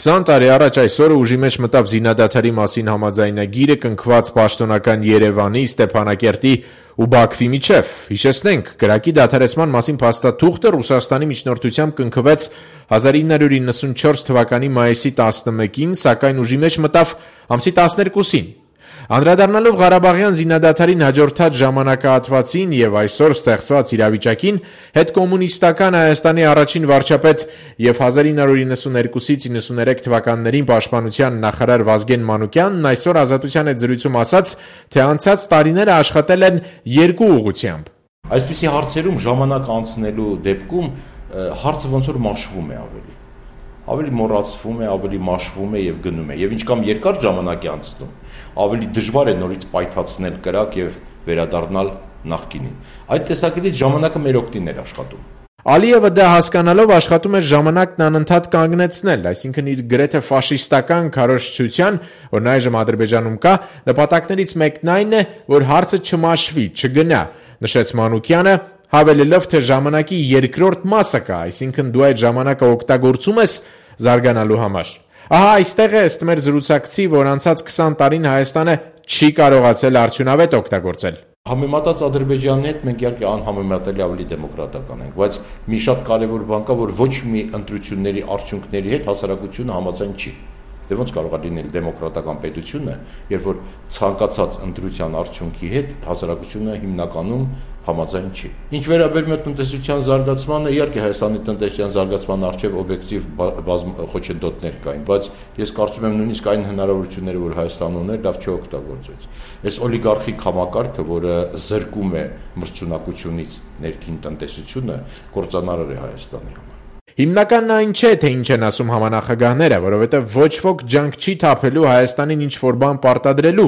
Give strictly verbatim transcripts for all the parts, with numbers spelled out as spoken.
քսան տարի առաջ այսօրը ուժի մեջ մտավ զինադադարի մասին համաձայնագիրը կնքված պաշտոնական Երևանի, Ստեփանակերտի ու Բաքվի միջև։ Հիշեցնենք, կրակի դադարեցման մասին փաստաթուղթը Ռուսաստանի միջնորդությամբ կնքվեց հազար ինը հարյուր իննսունչորս թվականի մայիսի տասնմեկին, սակայն ուժի մեջ մտավ ամսի տասներկուսին։ Անդրադառնալով Ղարաբաղյան զինադադարին հաջորդած ժամանակահատվածին եւ այսօր ստեղծված իրավիճակին, հետկոմունիստական Հայաստանի առաջին վարչապետ եւ հազար ինը հարյուր իննսուներկուսից իննսուներեք թվականներին պաշտպանության նախարար Վազգեն Մանուկյանն այսօր Ազատության հետ զրույցում ասաց, թե անցած տարիները աշխատել են երկու ուղղությամբ։ Այսպիսի հարցերում ժամանակ անցնելու դեպքում հարցը ոնց որ մաշվում է ավելի։ Ավելի մոռացվում է, ավելի մաշվում է եւ գնում է։ Եվ ինչքան երկար ժամանակ է անցնում, ավելի դժվար է նորից պայթացնել կրակ եւ վերադառնալ նախկինին։ Այդ տեսակետից ժամանակը մեր օգտին էր աշխատում։ Ալիևը դա հասկանալով աշխատում էր ժամանակն անընդհատ կանգնեցնել, այսինքն իր գրեթե ֆաշիստական քարոզչության, որն այժմ Ադրբեջանում կա, նպատակներից մեկն այն է, որ հարցը չմաշվի, չգնա, նշեց Մանուկյանը, հավելելով, թե ժամանակի երկրորդ մասը կա, այսինքն դու այդ ժամանակը օգտագործում ես զարգանալու համար։ Ահա այստեղ է ըստ մեր զրուցակցի, որ անցած քսան տարին Հայաստանը չի կարողացել արդյունավետ օգտագործել։ Համեմատած Ադրբեջանի հետ մենք իհարկե անհամեմատելի ավելի դեմոկրատական ենք, բայց մի շատ կարևոր բան կա, որ ոչ մի ընտրությունների արդյունքների հետ հասարակությունը համաձայն չի։ Դե ոնց կարող է լինել դեմոկրատական պետությունը, երբ որ ցանկացած ընտրության արդյունքի հետ հասարակությունը հիմնականում համաձայն չի։ Ինչ վերաբերում է տնտեսության զարգացմանը, իհարկե Հայաստանի տնտեսության զարգացման առջև օբյեկտիվ խոչընդոտներ կային, բայց ես կարծում եմ նույնիսկ այն հնարավորությունները, որ Հայաստանը ուներ, լավ չօգտագործվեց։ Այս օլիգարխիկ համակարգը, որը զրկում է մրցունակությունից ներքին տնտեսությունը, կործանարար է Հայաստանի համար։ Հիմնականն այն չէ, թե ինչ են ասում համանախագահները, որովհետև ոչ ոք ջանք չի թափելու Հայաստանին ինչ-որ բան պարտադրելու։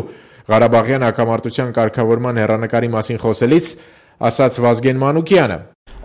Ղարաբաղյան հակամարտության կարգավորման հեռանկարի մասին խոսելիս ասաց Վազգեն Մանուկյանը։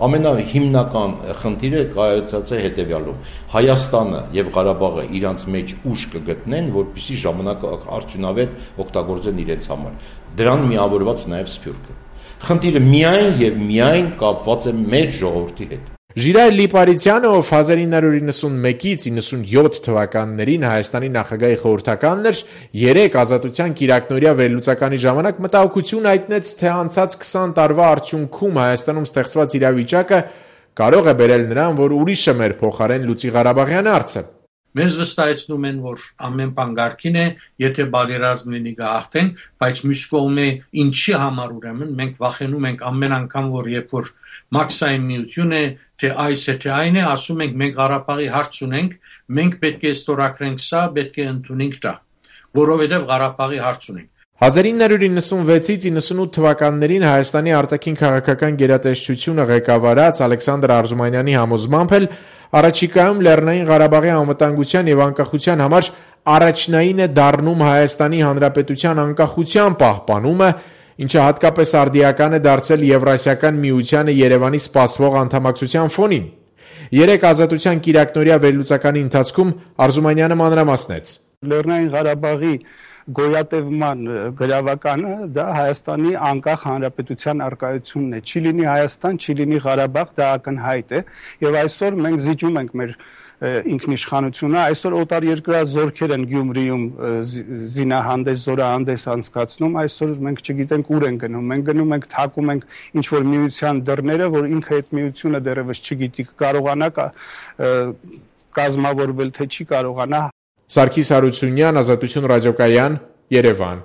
Ամենահիմնական խնդիրը կայացած է հետևյալում. Հայաստանը եւ Ղարաբաղը իրանց մեջ ուժ կգտնեն, որպեսզի ժամանակը արդյունավետ օգտագործեն իրենց համար։ Դրան միավորված նաեւ Սփյուռքը։ Խնդիրը միայն եւ միայն կապված է մեր ժողովրդի հետ։ Ժիրայր Լիպարիցյանը, ով հազար ինը հարյուր իննսունմեկից իննսունյոթ թվականներին Հայաստանի նախագահի խորհրդականն էր, երեք ազատության կիրակնօրյա վերլուծականի ժամանակ մտահոգություն հայտնեց, թե անցած քսան տարվա արդյունքում Հայաստանում ստեղծված իրավիճակը կարող է բերել նրան, որ ուրիշը մեր փոխարեն լուծի Ղարաբաղյան հարցը։ Մեզ վստահեցնում են, որ ամեն բան կարգին է, եթե բادرազմ լինի գահտենք, բայց մյուս կողմը ինչի համար ուրեմն մենք վախենում ենք ամեն անգամ, որ երբ որ մաքսային միություն է, թե այս է, թե այն է, ասում ենք մենք Ղարաբաղի հարց ունենք, մենք պետք է ստորագրենք սա, պետք է ընդունենք դա, որովհետև Ղարաբաղի հարց ունենք։ հազար ինը հարյուր իննսունվեցից իննսունութ թվականներին Հայաստանի արտաքին քաղաքական գերատեսչությունը ղեկավարած Ալեքսանդր Արզումանյանի համոզմամբ էլ առաջիկայում Լեռնային Ղարաբաղի անվտանգության եւ անկախության համար առաջնային է դառնում Հայաստանի Հանրապետության անկախության պահպանումը, ինչը հատկապես արդիական է դարձել Եվրասիական միությանը Երևանի սպասվող անդամակցության ֆոնին։ Երեք ազատության կիրակնօրյա վերլուծականի ընթացքում Արզումանյանը մանրամասնեց. Լեռնային Ղարաբաղի գոյատևման գրավականը դա Հայաստանի անկախ հանրապետության արկայությունն է։ Չի լինի Հայաստան, չի լինի Ղարաբաղ, դա ակնհայտ է, եւ այսօր մենք զիջում ենք մեր ինքնիշխանությունը, այսօր օտարերկրյա զորքեր են Գյումրիում զինահանդես, զորահանդես անցկացնում, այսօր մենք չգիտենք ուր են գնում, մենք գնում ենք թակում ենք ինչ որ միության դռները, որ ինքը այդ միությունը դեռևս չգիտի կարողանա կազմավորվել, թե չի կարողանա։ Սարգիս Հարությունյան, Ազատություն ռադիոկայան, Երևան։